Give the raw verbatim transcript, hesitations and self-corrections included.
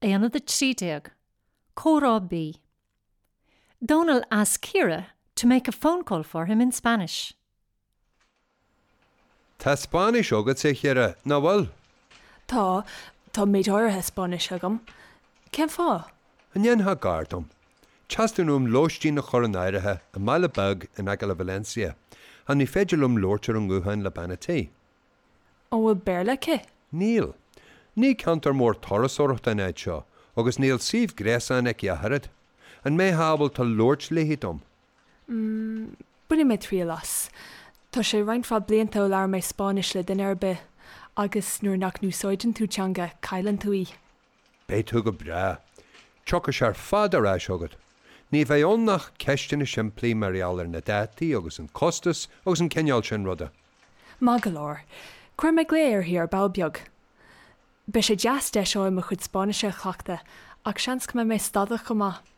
Aonad a trí déag. Comhrá B. Donal asks Ciara to make a phone call for him in Spanish. Tá Spáinnis agat a Chiara, nach bhfuil? Tá tá méid áirithe Spáinnis agam. Cén fáth? An ndéanfá gar dom. Teastaíonn uaim lóistín a chur in áirithe i mbaile beag in aice le Valencia, ach ní féidir liom labhairt ar an nguthán le bean an tí. An bhfuil Béarla aici? Níl. Ní ceantar mór turasóireachta an áit seo, agus níl suíomh gréasáin aici ach oiread. An mbeifeá ábalta labhairt léi dom? Mm, Bainfidh mé triail as. Tá sé roinnt mhaith blianta ó labhair mé Spáinnis le duine ar bith, agus nuair nach n-úsáideann tú teanga cailleann tú í. Beidh tú go breá. Tiocfaidh sé ar fad ar ais chugat. Ní bheidh ann ach ceisteanna simplí mar gheall ar na dátaí agus an costas agus an cineál sin ruda. Maith go leor. Cuirfidh mé glao uirthi ar ball beag. Beidh sé deas deis mo chuid Spáinnise a chleachtadh ach seans go mbeidh mé stadach chomh maith.